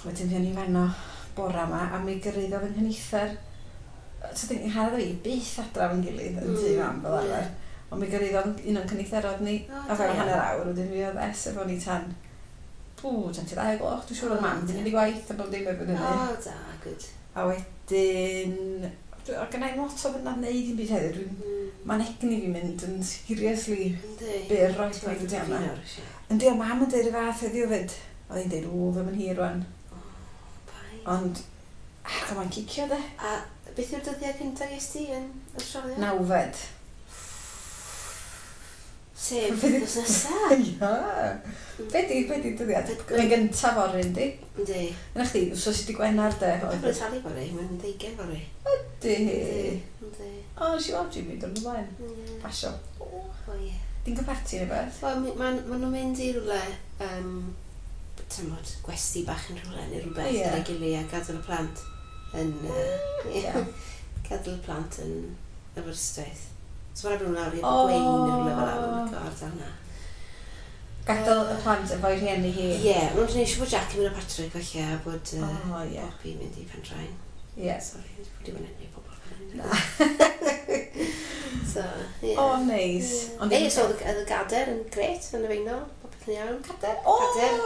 Wedyn fuon ni fanno bora 'ma a mi gyrhaeddodd 'y nghyfnither, so 'di Nghanad a fi byth adra efo'n gilydd yn tŷ mam fel arfer, ond mi gyrhaeddodd un o'n cyfnitherod ni o fewn hanner awr, wedyn mi oedd Es efo ni tan, ww, tan tua 2 o'r gloch, dwi'n siŵr oedd mam 'di mynd i gwaith a bob dim erbyn hynny. O, da, good. A wedyn, oedd gynna i'm lot o fynd wneud dim byd heddiw, dwi'n... Mae'n egni fi'n mynd yn seriously byr o'i dweud yma. Yndi, ond mam yn deud y fath heddiw fyd. Oedd hi'n deud, "Ww, ddim yn hir rwan." Ond, ach, mae'n cicio de. A beth yw'r dyddiau cyntaf ges ti yn Australia? 9fed. Sef wythnos nesa. Ia. Be di dyddiad? Mae'n gyntaf fory, yndi? Yndi. Yna chdi, wsos i di Gwener de. Mae'n talu fory, mae'n 20 fory. Ydy. Yndi. O, nes i weld Jimmy dod ymlaen. Pasio. O, ie. Di'n cael parti neu beth? Wel, ma nhw'n mynd i rywle, tymod, gwesty bach yn rhywle neu rhywbeth gyda'i gilydd a gadael y plant yn... Gadael y plant yn Aberystwyth. So mae'n rhaid bod nhw'n lawr i Abergwein neu rhywle fel 'na, mae'n licio ardal yna. Gadael y plant efo'i rhieni hi? Ie, yeah, mae'n gwneud siŵr bod Jack yn mynd â Patrick falle a bod Oh, ie. Poppy yn mynd i Pendraen. Sorry, wedi bod yn enwi pobl fan hyn. So, ie. O, neis. Ond ei, so oedd y gader yn gret yn y Faenol, popeth yn iawn. Cader? O,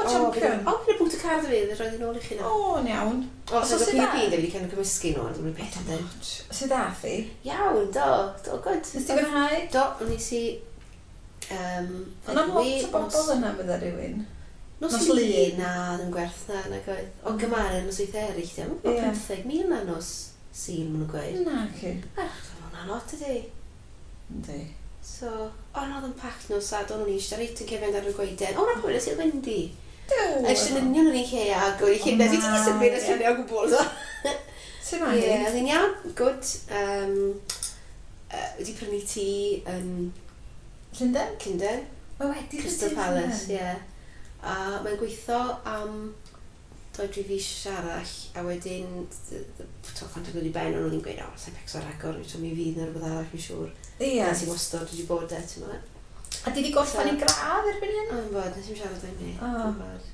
champion. O, gyda bwt y car 'da fi, roedd yn ôl i chi na. O, yn iawn. O, so So oedd sut y da? PUP, da fi wedi cael cymysgu nhw, ond dwi'n peth ydyn. Sut dath hi? Iawn, do, do, good. Nes ti fwynhau? Do, nes i... Ond am lot o bobl yna bydde rhywun. Nos Nos Lun, Lun. na, ddim gwerth na, nag oedd. O gymaru nosweithiau eraill, dim. Mae 15,000 na nos Sul, maen nhw'n gweud. Na, ci. Ach, hwnna'n lot ydi. Yndi. So, o, na, oedd yn packed nos Sadwrn, o'n i eisiau reit yn cefn ar y goeden. O, na, pwy nes i'r Wendy. Duw! Eisiau yn union yr un lle ag o'n i llunau. Fi wedi symud y lluniau o gwbl, so. Sut mae Ie, hi? oedd hi'n iawn, good. Wedi prynu tŷ yn Llundain? Llundain. Mae wedi prynu Crystal tŷ yn Palace, Llundain. ie. A mae'n gweithio am 2-3 fis arall, a wedyn, to, pan dod i ben, o'n nhw'n gweud, "O, sa'n becso ragor, so mi fydd na rhywbeth arall, fi'n siŵr." Nes i wastad wedi bod e, ti'n meddwl. A di di gorffen i gradd erbyn hyn? O'n bod, nes i'n siarad am ni. O. O'n bod.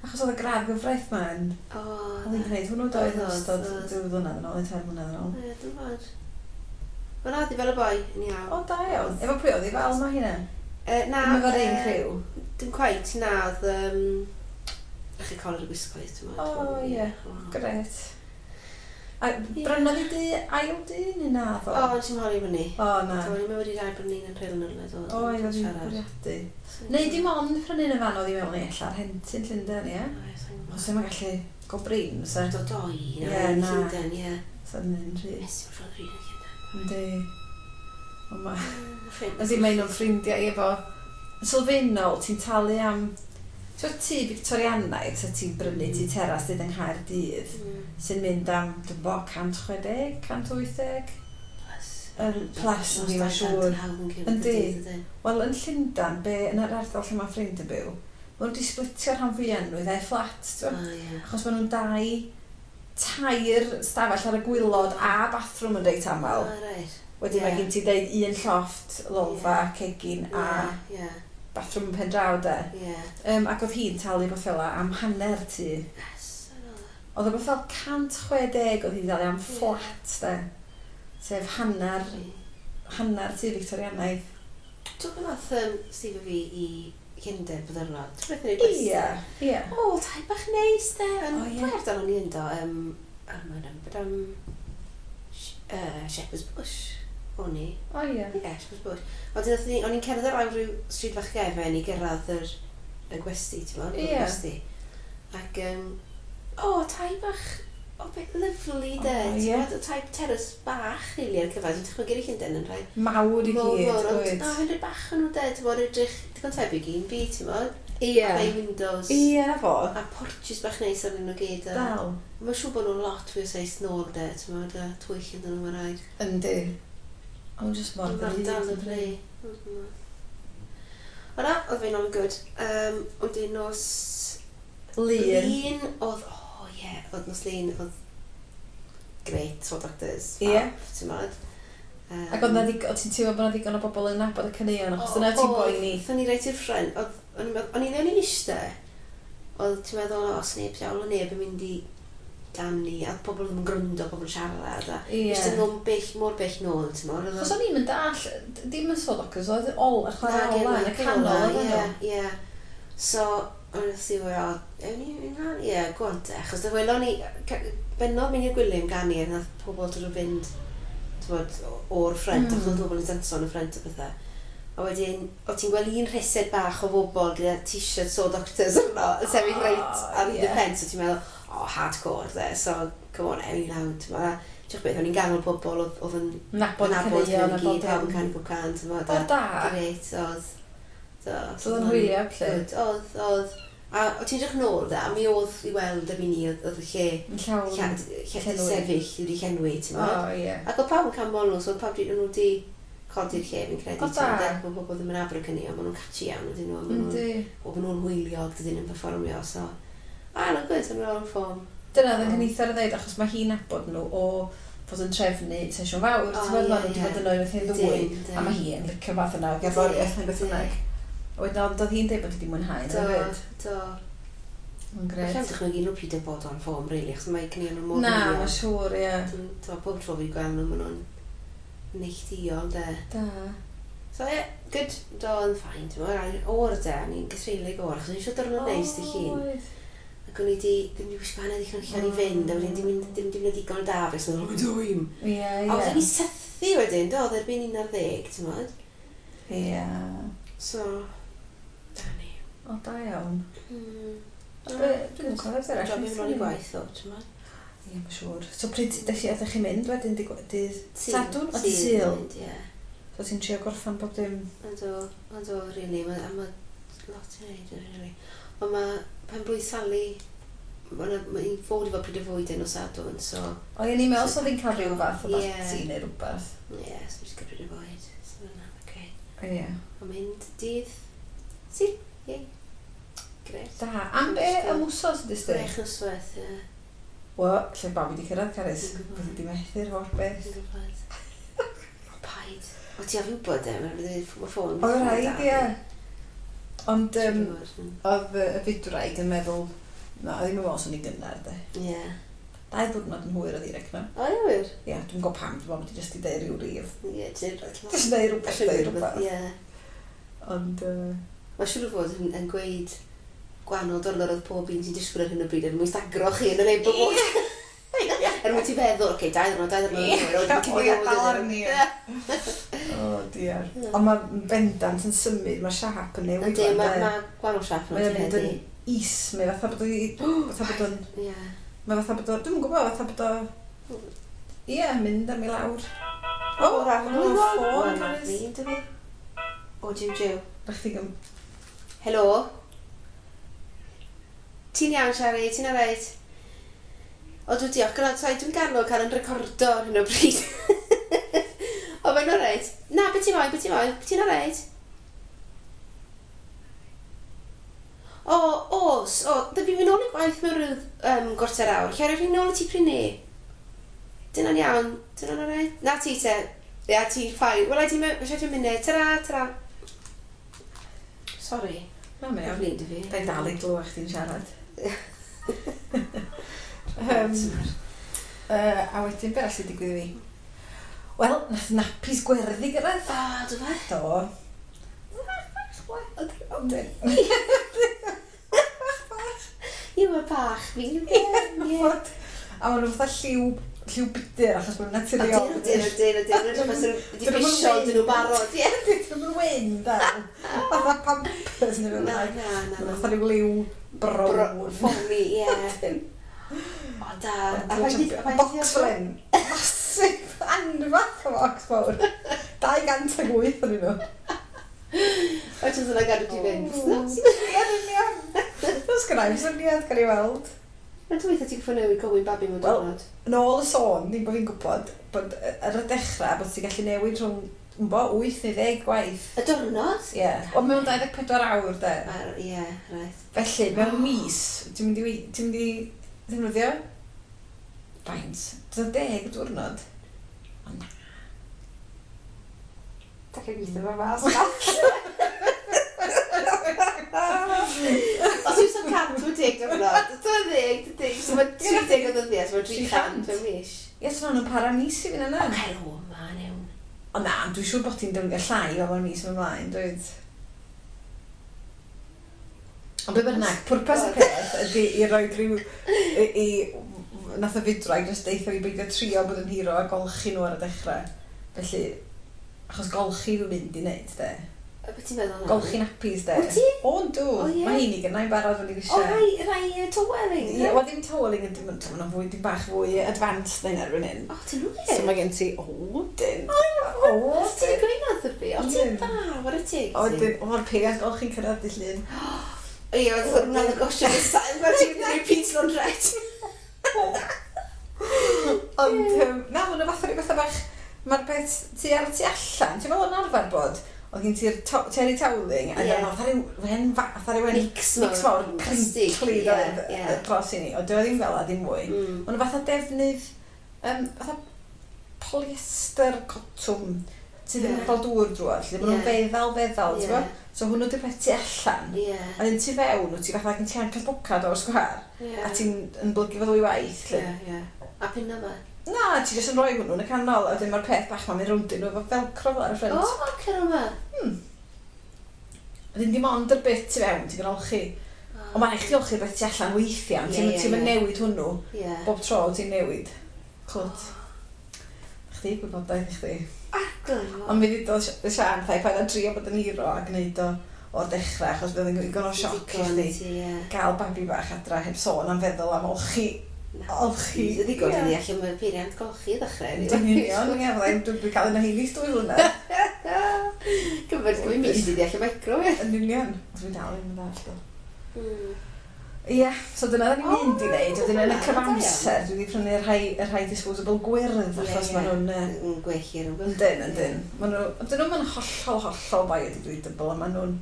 Achos oedd y gradd gyfraith ma'n... O, Oedd hi'n gwneud hwnnw doedd yn Oedd, ystod oedd. 2 flynedd yn ôl, neu 3 mlynedd yn ôl. Ie, dwi'n bod. Wel, na, di fel y boi, yn iawn. O, da iawn. Efo pwy oedd hi fel mae hynna? Na. Ddim efo'r un criw? Dim quite, na, oedd... Ych chi colur y gwisgoedd, ti'n O, ie. Gret. A brynodd hi di ail dŷ neu na ddo? O, nes i'n holi fyny. O, na. Do, o'n i'n meddwl wedi rhaid brynu un yn Rhyl yn rhywle, do. O, ie, oedd hi'n bwriadu. Neu dim ond prynu yn y fan oedd hi mewn i ella rhentu'n Llundain, ie? Os ddim yn gallu go brin, fysa? Do, doi, na, Ie, yn na. Llundain, ie. Sa'n un rhy. Nes i'n rhoi un yn Llundain. Yndi. Ond ma... Ffrind. As in, mae un o'n ffrindiau efo... Yn sylfaenol, ti'n talu am... Ti'n tŷ Victorianaidd, sa ti'n brynu tŷ teras dyd yng Nghaerdydd, sy'n mynd am, dwi'n bo, 160, 180? Plus. Plus, yndi, mae'n siŵr. Yndi. Wel, yn Llundain, be, yn yr ardal lle mae ffrind yn byw, maen nhw wedi splitio'r rhan fwyaf nhw i ddau fflat, ti'n O, ie. Achos maen nhw'n dau, tair stafell ar y gwaelod a bathroom yn reit aml. O, reit. Wedyn mae gen ti deud un llofft, lolfa, cegin a bathroom yn pen draw de. Ac oedd hi'n talu beth fel am hanner tŷ. Yes, I know that. Oedd o beth fel 160 oedd hi'n talu am fflat de. Sef hanner tŷ Victorianaidd. Dwi'n meddwl nath Steve a fi i Llundain bod arno. Ti'n beth yn ei gwesti? Ie, ie. O, tai bach neis de. Yn O, ie. ble ardal o'n i ynddo? Mae'n bod am Shepherd's Bush. O'n i. O ie. Ie, Shepherd's Bush. Wedyn o'n i'n cerdded lawr rhyw stryd fach gefen i gyrraedd y gwesti, ti'n gwbod? Y gwesti. Ac, o, tai bach, o, beth lyfli de. O, Ti'n ie. gwbod, y tai terrace bach, rili, ar cyfan. Dwi'n dychmygu i Llundain yn rhai Mawr i mowr, gyd, mowr, ond oed. na, yn rhai bach yn nhw de, ti'n gwbod, edrych digon tebyg i un fi, ti'n gwbod? Ie. Bay windows. Ie, na fo. A porches bach neis arnyn nhw gyd. A Dal. mae'n siŵr bod nhw'n lot fwy o seis nôl de, ti'n gwbod, a twyll ynddyn nhw, mae'n rhaid. Yndi. Ond jyst mor Mae'r dal yn ddrud. rhai. O na, oedd fe'n all good. Wedyn nos Lun. Lun oedd, o ie, oedd nos Lun, oedd great, so doctors, fab, ti'n gwbod. Ac oedd na oedd ti'n teimlo bod na ddigon o bobl yn nabod y caneuon, achos dyna ti'n boeni. Oedd, o'n i reit i'r ffrind, oedd, o'n i'n meddwl- o'n i'n eistedd, Oedd ti'n meddwl, os neb, diawl o neb yn mynd i ganu, a pobl ddim yn gryndo, pobl yn siarad, a jyst yn nhw'n bell, mor bell nôl, ti'n meddwl. Chos o'n i'n mynd all, dim yn Saw Doctors, oedd ol, y chwarae ola yn y canol, oedd nhw. Ie, ie. So, o'n i'n meddwl, o, ewn ni mlaen? Ie, go on te, achos welon ni, bennodd mynd i'r Gwilym ganu, a nath pobl dod o fynd, ti'n o'r ffrent, achos oedd pobl yn danso yn y ffrent a bethau. A wedyn, o ti'n gweld un rhesed bach o bobl gyda t-shirt Saw Doctors yno, yn sefyll reit ar y pen, so ti'n meddwl, oh, hardcore, de, so come on, ewn ni lawr, ti'n meddwl, diolch beth, o'n i'n ganol pobl oedd yn nabod caneuon a gyd, pawb yn canu pob can, ti'n meddwl, o, da. Grêt, oedd. So, oedd yn hwyliog, lle? Oedd, oedd. A o ti'n edrych nôl, da, a mi oedd i weld erbyn ni, oedd y lle llawn lle sefyll wedi llenwi, ti'n meddwl. O, ie. Ac oedd pawb yn canmol nhw, so oedd pawb nhw wedi codi'r lle, fi'n credu. O, da. Mae pobl ddim yn abr y cynni, ond maen nhw'n catchy iawn, ydyn nhw. Maen nhw'n hwyliog, dydyn nhw'n performio, so... A, nhw'n good, maen nhw'n ffom. Dyna oedd yn cynnither yn dweud, achos mae hi'n nabod nhw o fod yn trefnu sesiwn fawr. Ti'n gwybod, maen nhw wedi bod yno unwaith neu ddwy, a mae hi'n licio fath yna o gerddoriaeth neu beth bynnag. Wedyn, oedd hi'n dweud bod hi wedi mwynhau. Do, do. Mae'n grêt. Alla i'm dychmygu nhw pryd yn bod on ffom, really, achos mae cynnig nhw mor... Na, mae'n siŵr, ie. Bob tro fi'n gweld nhw, maen nhw'n neilltuol, de. Da. So, ie, yeah, good, do, yn ffain, ti'n meddwl, o'r de, o'n i'n gythreulig o'r, achos o'n i eisiau diwrnod neis dy llun. Ac o'n i di, ddim wedi gwisgo hanner ddigon allan i fynd, a wedyn dim mynd dim digon da, felly o'n i'n dwym. Ie, ie. A wedyn i sythu wedyn, do, oedd erbyn 11, ti'n meddwl. Ie. So, da ni. O, da iawn. Dwi'n cofio arall. Job i'n rôl i gwaith, o, ti'n meddwl. Ie, mae'n siŵr. So pryd ydych chi'n mynd wedyn dydd Sadwrn? O, dydd Sul? Ie. So ti'n trio gorffan bob dim? Yndw, yndw, really. Mae lot i wneud, really. Ond mae pen blwydd Sally, mae'n fod i fod pryd o fwyd yn o Sadwrn, so... O, ie, ni'n meddwl so fi'n cael rhyw fath o barti neu rhywbeth. Ie, so dwi'n cael pryd o fwyd. So mae'n oce. Ie. Ond mynd dydd Sul, ie. Grêt. Da. Am be am wsos ydys di? 6 noswaith, ie. Wel, lle babi di cyrraedd, Carys. Fyddi di methu'r holl beth. Dwi'n gwybod. O, paid. O, ti ofyn gwybod e, mae ffôn. O, rhaid, ie. Ond oedd y fydwraig yn meddwl, na, oedd hi'n meddwl os o'n i'n gynnar, de. Ie. 2 diwrnod yn hwyr oedd hi, recno. O, ie, wir? Ie, dwi'n gwybod pam, dwi'n meddwl bod hi jyst i deud rhyw rif. Ie, ti'n... Jyst deud rhywbeth, deud rhywbeth. Ie. Ond... Mae'n siŵr o fod yn gweud gwahanol diwrnod oedd pob un sy'n disgwyl ar hyn o bryd er mwyn stagro chi yn y neb o fod. Er mwyn ti feddwl, oce, 2 diwrnod, 2 diwrnod. O, ie, dal arni. O, diar. Ond mae bendant yn symud, mae siap yn newid. Yndi, mae gwahanol siap yn Mae'n mynd yn is, mae fatha bod o... Fatha bod o'n... Mae fatha bod o... Dwi'm yn gwybod, fatha bod o... Ie, mynd ar mi lawr. O, ffôn, Carys. O, jiw, jiw. Rhaid chdi gym... Helo? Ti'n iawn, Siari, ti'n alright? O, dwi diolch. Gyda, sorry, dwi'n ganol cael yn recordo ar hyn o bryd. O, mae'n alright. Na, beth ti'n moyn, beth ti'n moyn, ti'n alright? O, os, o, dwi fi'n mynd nôl i gwaith mewn rhyw 25 awr. Lle rhaid fi nôl i ti pryd ni? Dyna'n iawn, dyna'n alright? Na ti te. Ia, ti, fine. Wel, ti mewn, siarad munud. Tara, tara. Sorry. Na, mae'n iawn. Flin, fi. Da i dal i glywed chdi'n siarad. A wedyn, be arall sy'n digwydd i fi? Wel, nath nappies gwerddi gyrraedd. O, do fe? Do. Ond Ie, mae bach fi. Ie. A maen nhw fatha lliw budur achos maen nhw'n naturiol. Ydyn, ydyn, ydyn. Wedi pisio dyn nhw barod, ie. Dyn nhw'n wyn, da. Fatha Pampers neu Na, na, na. Fatha rhyw liw brown. Ffomi, ie. O, da. Box fel hyn. Massive, anfath o box fawr. 208 o'n nhw. O, ti'n yna gadw ti fynd. Ie, yn union. Os gyda i'm syniad, gael ei weld. Mae'n dweud ti'n gwybod newid gofyn babi mewn diwrnod. Yn ôl y sôn, ddim bod fi'n gwybod, bod ar y dechrau, bod ti'n gallu newid rhwng, bo, 8 neu 10 gwaith. Y diwrnod? Ie. Yeah. Ond mewn 24 awr, de. Ie, right. Felly, mewn mis, ti'n mynd i ddefnyddio? Faint? Dyna 10 diwrnod. O na. Da chi'n gweithio fo mas. Os yw'n so 100 mae'n 10 diwrnod, 20, dydy. So mae 30 o ddyddiau, so mae 300 mewn mis. Ie, so nhw'n para mis i fi yna. O, cer o, ma, newn. O na, dwi'n siŵr bod ti'n defnyddio llai o fo'r mis ymlaen, dweud. Ond be bynnag, pwrpas y peth ydy i roi rhyw... I, i, nath y fydwraig jyst deitha fi beidio trio bod yn hero a golchi nhw ar y dechrau. Felly, achos golchi dwi'n mynd i wneud, de. Be ti'n meddwl? Golchi nappies, de. Wyt ti? O, yndw. O, ie. Mae heini gynnau'n barod fan i O, eisiau. rhai toweling. Ie, wel ddim toweling yn dim ond fwy, dim bach fwy advanced na hynna erbyn hyn. O, ti'n wir? So mae gen ti, o, dyn. O, O, ti'n gweud nath y fi? O, ti'n Ydyn. dda, war y teg. O, dyn, o, mae'r peiriant golchi'n cyrraedd dy llun. Ie, oedd hwnna'n y gosio nesaf. Mae'n ti'n mynd i repeat laundrette. Ond, na, mae'n fath o ryw fatha bach, mae'r peth tu ar y tu allan, ti'n meddwl yn arfer bod, oedd gen ti'r terry toweling, a Ie. yeah. fatha ryw hen fatha ryw hen Mix mix mawr, Plastig, crinkly ie, doedd, ie. dros i ni, ond dyw e ddim fel a ddim mwy. Mae'n fatha defnydd, fatha polyester cotwm, sydd ddim yn Ie. cael dŵr drwodd, lle maen nhw'n Ie. feddal, feddal, ti'n Ie. gwbod? So hwnnw di'r peth tu allan. Ie. A dyn tu fewn, wyt ti fatha gen ti ancar bocad o'r sgwâr, Ie. a ti'n yn blygu fo ddwy waith, lle. Ie, ie. A pyn yma? Na, ti jyst yn rhoi hwnnw yn y canol, a wedyn mae'r peth bach ma'n mynd rownd nhw efo velcro fel ar y O, ffrynt. cer yma. A dyn dim ond yr bit tu fewn ti'n olchi. Ond mae'n rhaid chdi olchi'r beth tu allan weithiau, Ie, ti'n ie, ti'n ie. newid hwnnw. Ie. Bob tro ti'n newid. Clwt. Chdi, gwybodaeth i chdi. Arglwydd. Ond mi ddudodd Sian, thai paid â trio bod yn hero a gwneud o o'r dechrau, achos bydd yn ddigon o sioc i chdi Ie. gael babi bach adra heb sôn am feddwl am olchi. Olchi. Dwi wedi gweld Ie. ni allan mae'r peiriant golchi i ddechrau. Yn union, ie, fyddai'n dwi'n cael un o heini dwy flynedd. Cyfyd gwyn mis i allan micro, ie. Yn union. Dwi'n dal ddim yn ddallt o. Ie, so dyna da ni'n mynd i wneud. Wedyn yn y O, cyfamser, dwi wedi prynu y rhai disposable gwyrdd, achos Ie, ie. maen nhw'n... Yn gwell i'r ymgylch. Yndyn, yndyn. Maen nhw, dyn nhw'n hollol, hollol biodegradable, a maen nhw'n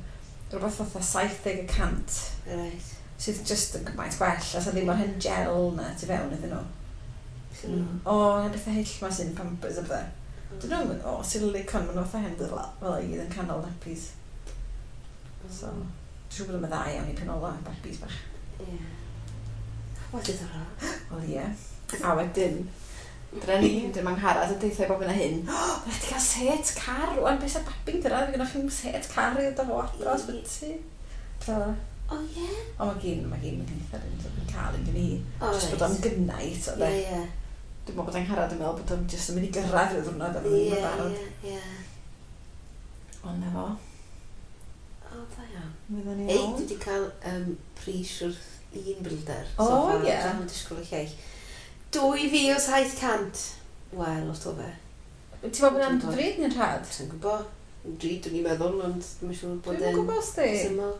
rhywbeth fatha 70% Right. sydd just yn gymaint gwell, a sa ddim o'r hen gel na tu fewn iddyn nhw. O, hen bethau hyll ma sy'n Pampers a bethau. Dyn nhw'n, o, silicon, maen nhw fatha hen fel fel i gyd yn canol nappies. So, dwi'n siŵr bod o'n dda iawn i penola, babis bach. Ie. Wel, diddorol. Wel, ie. A wedyn, dyna ni, wedyn mae'n Angharad yn deithio bob yn a hyn. O, mae'n rhaid i gael set car, rwan, beth sy'n babi'n gyrraedd, fe gynnwch chi'n set car i ddod â fo adra, os byti. Fel yna. O, ie. O, mae gyn eitha un, so dwi'n cael un gen i. O, Jyst bod o'n gynnau, so, Ie, de. ie. Dwi'n meddwl bod Angharad yn meddwl bod o'n jyst yn mynd i gyrraedd rhyw ddwrnod, a Ie, ddim yn barod. ie, ie. Ond na fo, O, da iawn. fydden ni Ei, ôl. dwi wedi cael pris wrth un builder. O, so far. ie. Dwi'n disgwyl y lleill. 2,700. Wel, lot o fe. Ti'n meddwl bod hwnna'n ddrud neu'n rhad? Dwi'n gwybod. Drud, dwi'n i'n meddwl, ond dwi'n siŵr bod Dwi'm yn gwybod sti. Syml.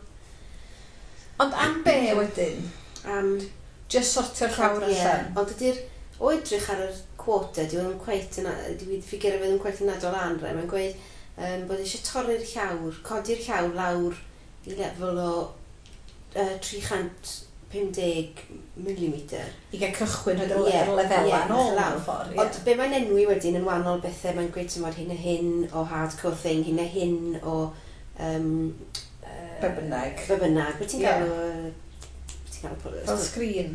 Ond am be wedyn? Am Just sortio'r llawr Ie, allan. Ond ydy'r, o edrych ar yr quota, dyw e ddim cweit yn, dyw ffigur fe ddim cweit yn adol lan, rai. Mae'n gweud bod eisiau torri'r llawr, codi'r llawr lawr i lefel o 350 mm. I gael cychwyn rhoid y Ie, lefelau ie, yn ôl lawr. mewn ffordd. Ond be mae'n enwi wedyn yn wahanol bethau, mae'n gweud ti'n hyn a hyn o hardcore thing, hyn a hyn o... Be bynnag. Be bynnag. Be ti'n Ie. gael o... Be ti'n gael o... Fel sgrin.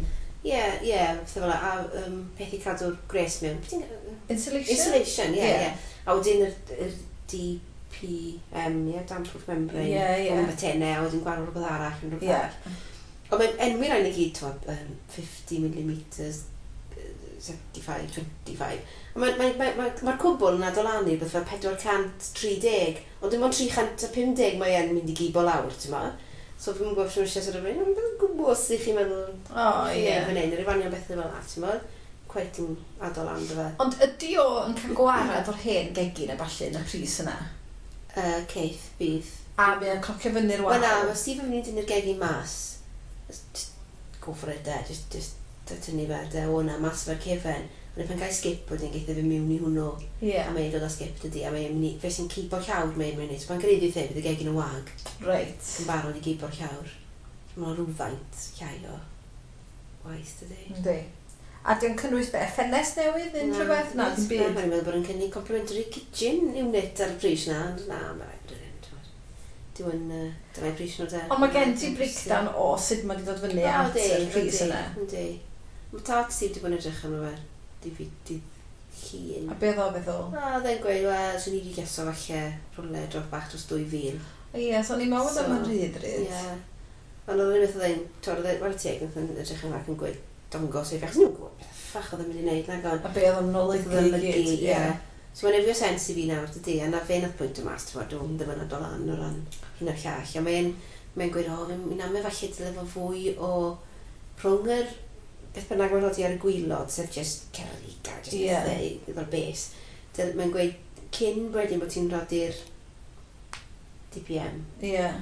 Ie, ie, pethau fel 'na. A peth i cadw'r gres mewn. Be ti'n gael? Insulation? Insulation, ie, Ie. ie. A wedyn yr DPM, ie, damp-proof membrane. Ie, ie. O'n tenau, a wedyn gwahanol rhywbeth arall, yn rhywbeth Ie. arall. Ond mae'n enwi rhain i gyd, t'mod, 50 mm, 75, 25. Ond mae'r mae, mae, mae, mae cwbl yn adolanu beth fel 430, ond dim ond 350 mae e'n mynd i gibo lawr, ti'n ma? So fi'n gwybod os eisiau sort of, dwi'n gwybod os ych chi'n meddwl, O, chi'n ie. fan hyn, yr ifanion bethau fel 'na, ti'n ma? Quite yn adol lan, dy fe. Ond ydy o yn cael gwarad o'r hen gegin a ballu yn y pris yna? Ceith, bydd. A mae o'n clocio fyny'r wal? Wel na, mae Steve yn mynd i dynnu'r gegin mas. Just go for it, de. Just tynnu fe, de, o na, mas fe'r cefen. Ond pan gael skip wedyn, geith e fe mewn i hwnnw. Ie. A mae'n dod â skip, dydy. A mae'n mynd i, fe sy'n cibo'r llawr, mae'n mynd i. So pan gyrraedd i the, bydd y gegin yn wag. Reit. Yn barod i gibo'r llawr. So mae'n rhywfaint llai o waith, dydy. Yndi. A di o'n cynnwys be? Ffenest newydd neu unrhyw beth? Na, dim byd. Mae'n meddwl bod yn cynnig complimentary kitchen unit ar y pris na, ond na, mae'n rhaid bod yn. Dwi'n dyna'i pris nhw de. Ond mae gen ti breakdown o sut mae wedi dod fyny at y pris yna. Yndi. Mae tad Steve wedi bod yn edrych arno fe. Di llun. A be oedd o feddwl? A oedd e'n gweud, wel, swn i wedi geso falle rhywle dros bach dros 2000. Ie, so o'n i'n meddwl bod o'n rhy ddrud. Ie. Ond oedd e'n beth oedd e'n, twod, oedd e'n, wara teg, oedd e'n edrych yn ac yn gweud, dongos ei fi, achos ni'n gwybod beth ffach oedd e'n mynd i wneud, nag o'n. A be oedd o'n olygu i gyd, ie. So mae'n efio sens i fi nawr, dydy, a na fe nath pwynt o mas, ti'n gwbod, dwi'n ddim yn adol lan o ran hyn o'r llall. A mae'n mae gweud, o, fi'n amau falle dyle fo fwy o rhwng yr beth bynnag mae'n rhoi ar y gwylod, sef just cerrig a just yeah. Pethau efo'r bes. Mae'n gweud, cyn wedyn bod ti'n rhodi'r DPM, yeah.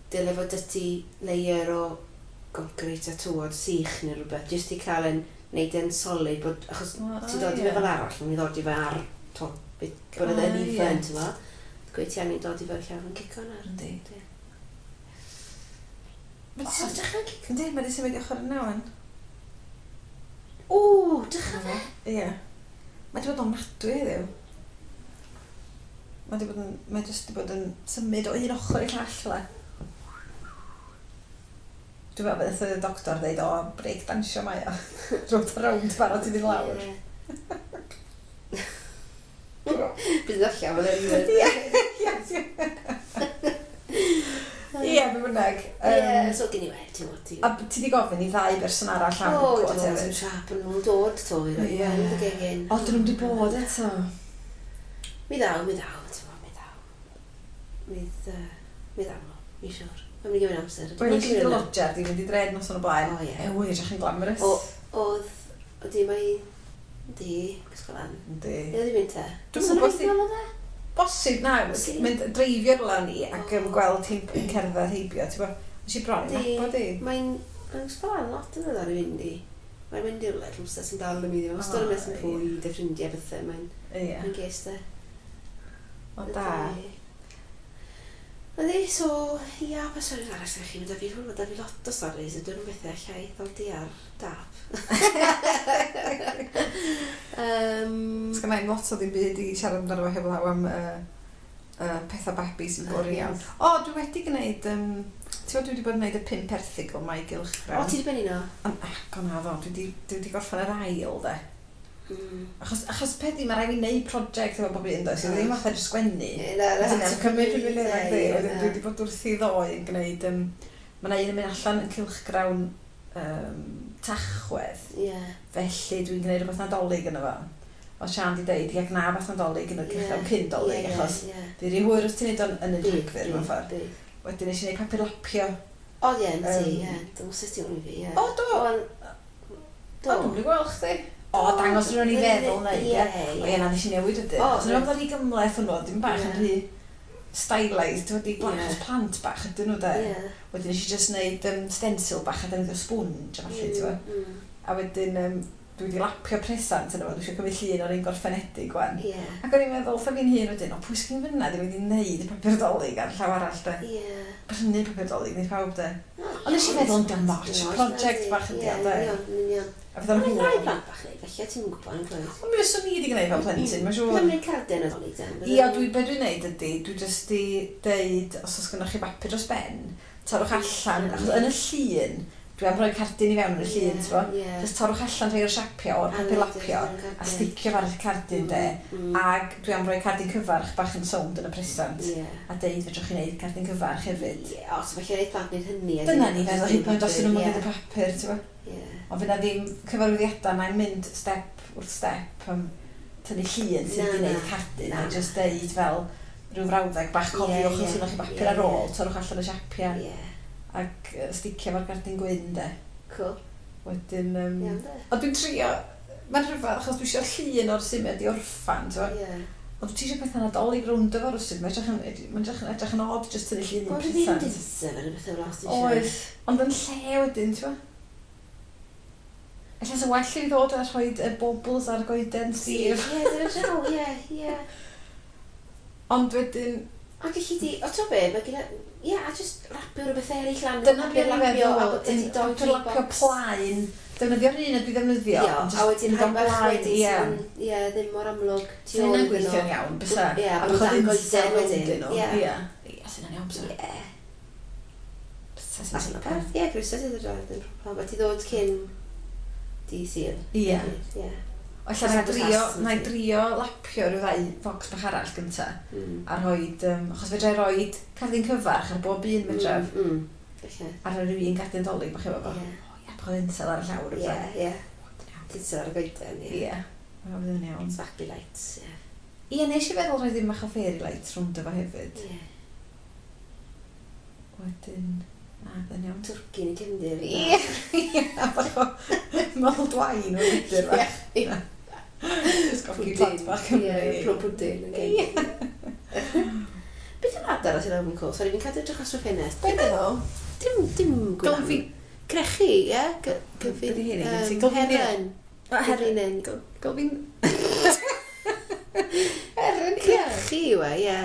Dyle fod dyty layer o concrete a tywod sych neu rhywbeth, jyst i cael yn neud e'n solid, bod, achos oh, ti'n dod i fe fel arall, mae'n ddod i fe ar top, bod yn even, ti'n fo. Gweud ti angen dod i fe llawn yn cico nawr. Yndi. O, dechrau'n cico. Yndi, mae wedi symud i ochr yna wan. O, dechrau fe? Ie. Mae wedi bod yn ofnadwy heddiw. Mae wedi bod yn, mae jyst wedi bod yn symud o un ochr i'r llall fel. Dwi'n meddwl beth y doctor dweud, o, break dansio mae o. Rownd a rownd barod i fynd lawr. Bydd allan, mae'n Ie, ie. Ie, be bynnag. Ie, so gen i wedi, ti'n gwybod. A ti di gofyn i ddau berson arall am gwot hefyd? O, dwi'n siap yn nhw'n dod to, i roi yn y gegin. O, dyn nhw'n di bod eto. Mi ddaw, mi ddaw, ti'n gwybod, mi ddaw. Mi ddaw, mi siwr. Mae'n mynd i gymryd amser. Wel, nes i dy lodger, di fynd i dred noson o blaen. O, ie. E, wy, edrych yn glamorous. Oedd, oedd i mae... Di, gwisgo lan. Yndi. Ie, oedd i mynd te? Dwi'n gwybod si... Bosib, na. Mynd dreifio rwla ni ac yn gweld hi'n cerdded heibio, ti'n gwybod? Nes i bron i nabod i. Mae'n gwisgo lan lot yn ddiddor i fynd i. Mae'n mynd i rwle trwmsa sy'n dal yn mynd i. Mae'n stori mes yn fwyd, y ffrindiau bethau. Mae'n ges de. O, da. Yndi, so, ia, pa storis arall ydych chi? Mae da fi, mae da fi lot o storis, ydyn nhw'n bethau allai ddod ar dap. Sgynna i'm lot o ddim byd i siarad amdano fo heblaw am pethau babi sy'n boring iawn. O, dwi wedi gwneud, ti'n gwybod dwi wedi bod yn gwneud y 5 erthygl mae i gylchgrawn. O, ti wedi benni no? Ac o na ddo, dwi wedi gorffen yr ail, de. Achos peth i, mae rhaid fi wneud prosiect efo bob un, does? Ddim fatha jyst sgwennu. Dyna'n cymryd pum munud ag di. Wedyn dwi wedi bod wrthi ddoe yn gwneud... Mae yna un yn mynd allan yn cylchgrawn Tachwedd. Felly dwi'n gwneud rhywbeth Nadolig yno fo. O Sian di deud, ia gna beth Nadolig yn y cylchgrawn cyn Dolig, achos fi rhy hwyr os ti'n neud o'n yn y Rhagfyr, mewn ffordd. Wedyn nes i wneud papur lapio. O, ie, ti, ie. Dwi'n gwybod ti o'n i fi, ie. O, do! O, dwi'n mynd i gweld chdi. O, dangos rhywun i feddwl neu, ie. O, ie, na, nes i newid wedyn. Achos o'n i'n meddwl rhy gymhleth hwnnw, dim bach yn rhy stylised, wedi achos plant bach ydyn nhw, de. Wedyn nes i just wneud stencil bach a defnyddio sponge a falle, ti'n gwbod. A wedyn, dwi wedi lapio presant yna fo, dwi eisiau cymryd llun o'r un gorffenedig wan. Ac o'n i'n meddwl, wrtha fi'n hun wedyn, o, pwy sgyn fyna ddim wedi wneud y papur Dolig ar llaw arall, de. Prynu papur Dolig, wneud pawb, de. Ond nes i feddwl, dim lot, project bach ydi o, de. Union. A fydd o'n hwyl. Ond rhai plant bach neud, felly ti'n gwybod yn gwybod. Ond mi fyswn i wedi gwneud fel plentyn, mae'n siŵr. Dwi'n gwneud cardyn Nadolig, de. Ia, be dwi'n neud ydy, dwi jyst i deud, os oes gennych chi bapur dros ben, torrwch allan, achos yn y llun, dwi am rhoi cardyn i fewn yn y llun, ti'n gwbod? Jyst torrwch allan rhai o'r siapio o'r papur lapio a sticio fo ar y cardyn, de. Ac dwi am rhoi cardyn cyfarch bach yn sownd yn y presant. A deud fedrwch chi wneud cardyn cyfarch hefyd. Ie, os felly rhaid plant wneud hynny. Dyna ni feddwl, hyd yn oed os ydyn nhw'n mynd y papur, ti'n gwbod? Ond fydd na ddim cyfarwyddiadau, mae'n mynd step wrth step am tynnu llun sydd wedi gwneud cardyn, a jyst deud fel rhyw frawddeg bach, cofiwch os ydych chi bapur ar ôl, torrwch allan y siapiau. Ac sticio fo'r gardyn gwyn, de. Cool. Wedyn... Ond dwi'n trio... Mae'n rhyfedd, achos dwi eisiau llun o'r symudiad i orffan, ti'n gwbod? Ond ti eisiau pethau Nadolig rownd efo rywsut, mae'n edrych yn odd jyst tynnu llun i'n presant. Ond ddim dinsef yn y bethau fel os ti eisiau. Oes, ond yn lle wedyn, ti'n gwbod? Ella sy'n well i fi ddod a rhoi y baubles ar goeden, Steve. Ie, dyna draw, ie, ie. Ond wedyn... A gallu di, o ti'n be, mae gen i, a just rapio rhywbeth eraill lan. Dyna beth o'n i'n meddwl, papur lapio plaen, defnyddio'r un a dwi ddefnyddio. Ie, a wedyn rhai bach wedyn, ie, ddim mor amlwg. Sy'n hynna'n gweithio'n iawn, bysa. Ie, a bod dan goeden wedyn. Ie, sy'n iawn, so. Ie. Sa Allan o beth, ie, groeso ti ddod draw, ddim problem. A ti ddod cyn dydd Sul. Ie. Ie. O, ella na i drio, Agos na i drio lapio rhyw ddau focs bach arall gynta. A rhoid, achos fedra i roid cardyn cyfarch ar bob un medraf. Felly. A rhoi rhyw un cardyn dolyg bach efo fo. Ie. O ie, bach o tinsel ar y llawr. Ie, ie. Tinsel ar y goeden, ie. Ie. Mae'n fydd yn iawn. Sparkly lights, ie. Ie, nes i feddwl rhoi ddim bach o fairy lights rhwng fo hefyd. Ie. Wedyn, na, fydd yn iawn. Twrci yn y cefndir. Ie, ie, bach o mulled wine o'r gwydr bach. Ie. Ysgogi plant bach Cymru. Ie, plwm pwdin yn Ie. cefndir. Beth yw'r adar sy'n awr yn col? Sori, fi'n cadw edrych os o'r ffenest. Be ydyn nhw? Dim gwylan. Gylfi. Crechu, ie? Be 'di hynny? Gen ti gylfinir? Heron. Heron. Gylfinen. Gylfin... Heron, ie. Crechu yw e, ie.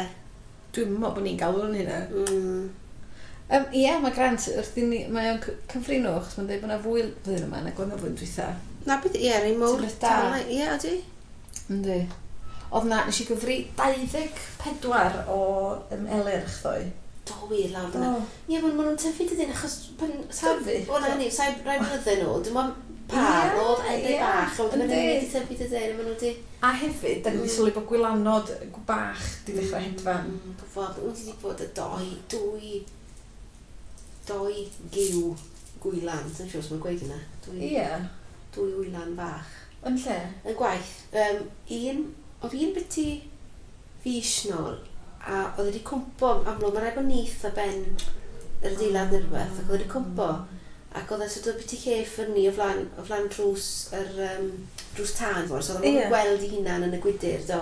Dwi'n meddwl bod ni'n galw yn hynna. Ie, mae Grant, wrth i ni, mae o'n cyfrino, achos mae'n dweud bod yna fwy flwyddyn yma nag oedd yna flwyddyn dwytha. Na beth, ie, rei mawr. Ti'n beth da. Ie, ydy. Yndi. Oedd na, nes i gyfri 24 o elyrch ddoe. Do wir lawr fyna. Ie, ma' nhw'n tyfu dydyn, achos pan... Tyfu? O, na ni, sai rai blynydde nôl, dim ond par, Ie, oedd edrych ie, bach, a wedyn maen yndi. nhw'n wedi tyfu dydyn, a maen nhw wedi... A hefyd, da ni wedi sylwi bod gwylanod bach di ddechrau hedfan. Gwybod, wyt ti wedi bod y doi, dwy, doi giw gwylan, sy'n siŵr os mae'n gweud yna. Dwy, Ie. dwy wylan fach. Yn lle? Yn gwaith, un, oedd un biti fis nôl, a oedd wedi cwmpo, amlwg, mae'n rhaid bod nith a ben yr adeilad neu rhywbeth, ac oedd wedi cwmpo, ac oedd e sort of biti lle ffyrnu o flaen drws, yr, drws tân, fawr, so oedd Ie. o'n gweld ei hunan yn y gwydyr, do.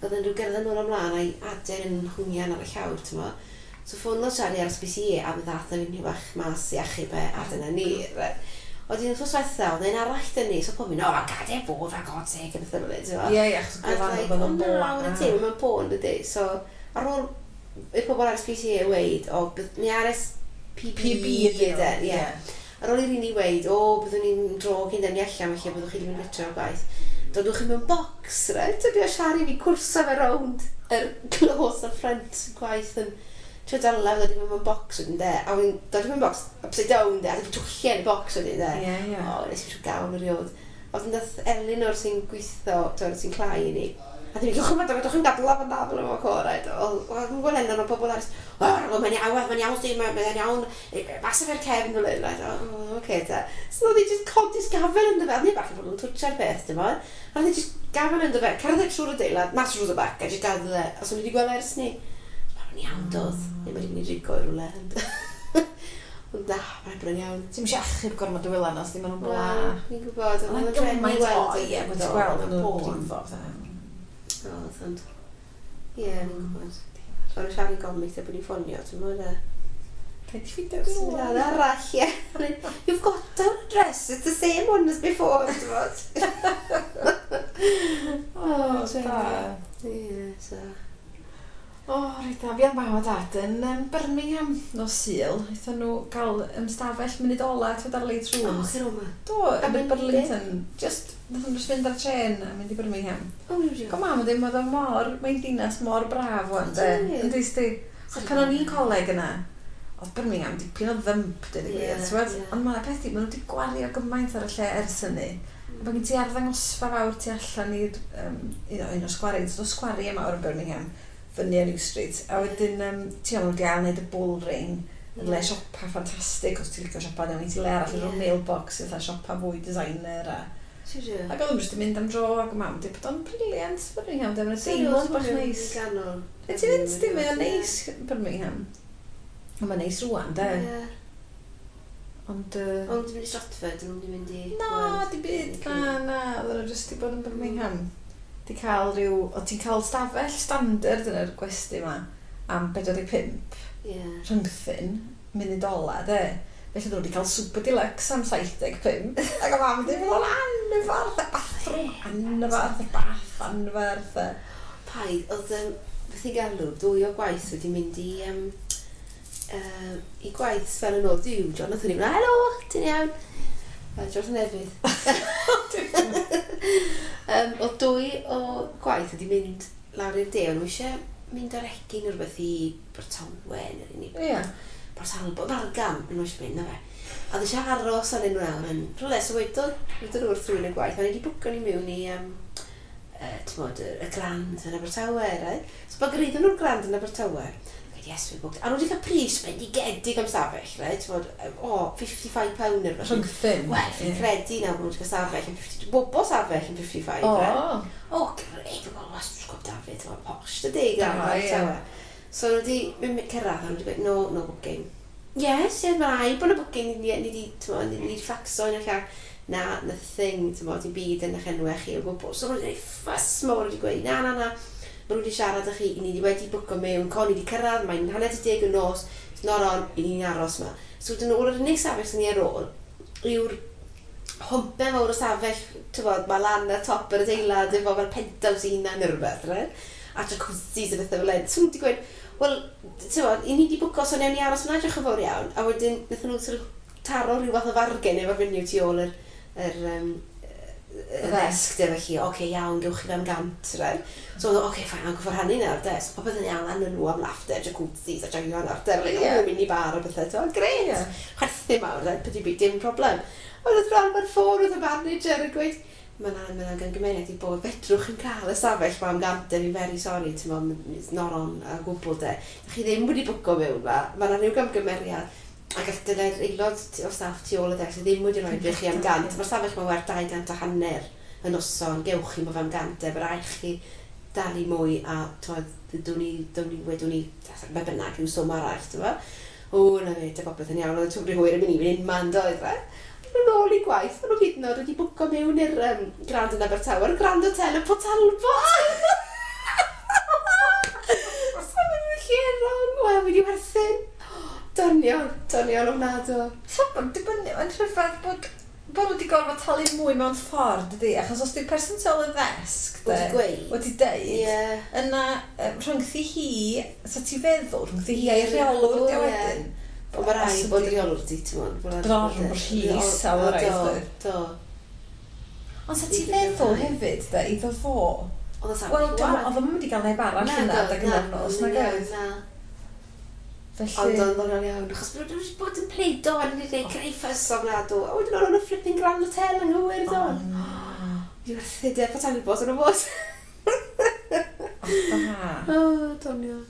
Oedd e'n rhyw gerdded nôl ymlaen a'i aden yn hwngian ar y llawr, ti'n mo. So ffonodd Charlie ar SPCA a mi ddath e fynd bach mas i achub e, a dyna ni. Right. Oedd un wrth diwetha, oedd un arall dyn ni, so pob mynd, o, gad e bod, for God's sake, a bethau fel 'ny, ti'n mo. Ie, ie, achos A it's gwylanod like, oedd o yn na, bla. wna ti, mae'n bôn, dydy. So, ar ôl i'r pobl ar SPCA weid, o, ni RSPB PB ydyn, ie. Ar ôl i'r un i weid, o, byddwn ni'n dro cyn dynnu allan, felly byddwch chi ddim yn gytre o'r gwaith. Dodwch chi mewn box, right? Ydy o Siari fi cwrso fe rownd yr clos a ffrant gwaith yn trio dala, dod i mewn box wedyn de. A wedyn dod i mewn box, upside down de, a dwi'n twyllu yn y box wedyn de. Ie, ie. O, nes i siw gawn erioed. A wedyn dath Elinor sy'n gweithio, twyd, sy'n clai i ni. A dyn ni'n gwybod, chymryd, chi'n gadw fan da fel yma co, right? O, dwi'n gweld Elinor o pobl arall, o, mae'n iawn, mae'n iawn, Steve, mae'n iawn, mas efo'r cefn fel hyn, right? O, oce, ta. So oedd hi just codi sgafel ynddo fe, oedd hi bach yn bod yn twtsio'r peth, dim ond. A oedd hi just gafel ynddo fe, cerdded trwy'r adeilad, mas drwy y bac, a just gadw fe. A so ni wedi gweld ers ni. Mae'n iawn, doedd. Neu mae wedi mynd i drigo i rhywle. Ond na, mae'n bod yn iawn. Ti'n eisiau achub gormod o wylan os ddim yn bla. Wel, fi'n gwybod, Ond ond mae'n gymaint o, ie, bod ti'n gweld yn nhw'n bôn. brifo. fatha. Oedd, ond... Ie, fi'n gwybod. O'n i siarad gofyn eitha bod ni'n ffonio, ti'n mwyn e? Paid i ffeindio Syniad arall, ie. You've got our address, it's the same one as before, ti'n mwyn? O, da. Ie, so... O, reit da. Fi a'n mam a dad yn Birmingham nos Sul. Aethon nhw gael ymstafell munud ola, ti'n ar late O, rooms. lle roma? Do, A yn mynd Burlington. Just, nath nhw just fynd ar trên a mynd i Birmingham. O, dwi'n Go mam, ddim oedd o mor, mae'n dinas mor braf wan, de. Ydi. Yndi, sti. Achos pan o'n i'n coleg yna, oedd Birmingham dipyn o ddymp, dweud y gwir, Ie, ti'n gwbod? ie. Ond mae'r peth i, maen nhw wedi gwario gymaint ar y lle ers hynny. A bod gen ti arddangosfa fawr tu allan i'r un o sgwari, o sgwari mawr yn Birmingham, fyny ar New Street. A wedyn, ti'n meddwl, wedi ail wneud y bull ring, yn le siopa ffantastig, os ti'n licio siopa, newn i ti le arall, Ie. yeah. mailbox, fatha siopa fwy designer a... Siwr. Ac oedd nhw'n jyst yn mynd am dro ac mam di bod o'n brilliant Birmingham, de, mae'n deimlad bach neis. Ganol. E ti'n mynd, di, mae o'n neis Birmingham. Ond mae'n neis rŵan, de. Ie. Ond, Ond dwi'n mynd i Stratford, dwi'n mynd i... na, di byd, na, na, oedden nhw jyst di bod yn Birmingham. Di cael rhyw, o ti'n cael stafell standard yn yr gwesty yma am 45 Ie. rhyngthyn, munud ola, de. Felly oedden nhw wedi cael super deluxe am 75. Ac o mam di bod o'n anferth, y bathroom anferth, y bath anferth. Paid, oedd, beth i galw, dwy o gwaith wedi mynd i, i gwaith fel yn ôl. Dyw, Jonathan i fynd, helo, ti'n iawn? Jonathan Efydd. Oedd dwy o gwaith wedi mynd lawr i'r de, o'n nhw eisiau mynd ar egin neu rhywbeth i Abertawe neu ni. Port Talbot, Fargam, yn oes mynd, na fe. A oedd eisiau aros ar unrhyw awr yn rhywle, so wedodd, wedodd wrth rhywun y gwaith, a ni wedi bwco ni mewn i, t'mod, y Grand yn Abertawe, right? So pan gyraeddon nhw'r Grand yn Abertawe, gweud, "Yes, we booked." A nhw wedi cael pris bendigedig am stafell, right? T'mod, o, £55 neu rhywbeth. Rhyngthyn. Wel, fi'n credu nawr bod nhw wedi cael stafell yn 50, bobo stafell yn 55, right? O, grêt, wel, was, sgwb David, o, posh, dydy, Grand Abertawe. So nhw wedi mynd cyrraedd, a nhw wedi gweud, "No, no booking." Yes, mae rhaid bod y booking, ni wedi, t'mod, ni wedi ffaxo un o'r llall. Na, nothing, t'mod, dim byd yn eich enwau chi o gwbl. So nhw wedi gwneud ffys mawr, wedi gweud, "Na, na, na, maen nhw wedi siarad â chi, ni wedi bwco mewn, con ni wedi cyrraedd, mae'n 9:30 y nos, it's not on, i ni'n aros yma." So wedyn nhw, yr unig safell sy'n ni ar ôl, yw'r hwmpe mawr o safell, t'mod, mae lan ar top yr adeilad efo fel penthouse i hunan neu rhywbeth, right? A jacuzzis a bethau fel hyn. So nhw wedi gweud, "Wel, t'mod, i ni wedi bwco, so newn ni aros yna, diolch yn fawr iawn." A wedyn, wnaethon nhw sort of taro rhyw fath o fargen efo'r fenyw tu ôl yr y ddesg de, felly, "Oce, okay, iawn, gewch chi fe am 100," right? So, oedd o, "Oce, okay, fine, a'n gwybod rhannu nawr, de." So, popeth yn iawn, lan nhw am laughter, jacuzzis a joio nawr, de. Like, oh, mini bar a bethau, to, grêt. Chwerthu mawr, de, peth i byd, dim problem. Ond oedd rhan mae'r ffôn oedd y manager yn gweud, "Mae 'na gangymeriad i bod, fedrwch chi'n cael y stafell ma am 100, fi'n very sorry, ti'n mo, it's not on a gwbl de. Da chi ddim wedi bwco mewn ma, mae 'na rhyw gamgymeriad. Ac all dyna'r aelod o staff tu ôl y ddesg ddim wedi rhoi i chi am 100. Mae'r stafell ma werth 250 y noson, gewch chi ma fe am 100 e, mae rhaid chi dalu mwy a t'mod, dwn ni, wedwn ni, be bynnag, rhyw swm arall, ti'n mo? O, na fe, dy popeth yn iawn, oedd y twbri hwyr yn mynd i fynd unman, doedd fe? Nhw'n ôl i gwaith, maen nhw hyd yn oed wedi bwco mewn i'r Grand yn Abertawe, yr Grand Hotel yn Port Talbot. So maen nhw'n lle wrong, wel, wedi werthu. Doniol, doniol ofnadw. So, dibynnu, mae'n rhyfedd bod nhw wedi gorfod talu mwy mewn ffordd, dydy? Achos os di'r person tu ôl y ddesg, de, Wedi gweud. wedi deud, yna rhyngthi hi, so ti feddwl, rhyngthi hi a'i rheolwr, di wedyn. Ond mae rhaid bod rheolwr di, ti'n mwyn. Bod o'n rhy isel o raid, doedd. Do. Ond sa ti feddwl hefyd, de, iddo fo, Oedd o safell wel, wag. oedd o'n mynd i gael neb arall yna, adeg yna'r nos, nag oedd? Na. Felly, Ond oedd o'n iawn, achos bod nhw wedi bod yn pledo a wedi gwneud creu ffys ofnadw. A wedyn o'n nhw'n flipping Grand Hotel yng Nghywir, do. Wedi werthu de, Port Talbot o'n nhw fod. Da. O, doniol.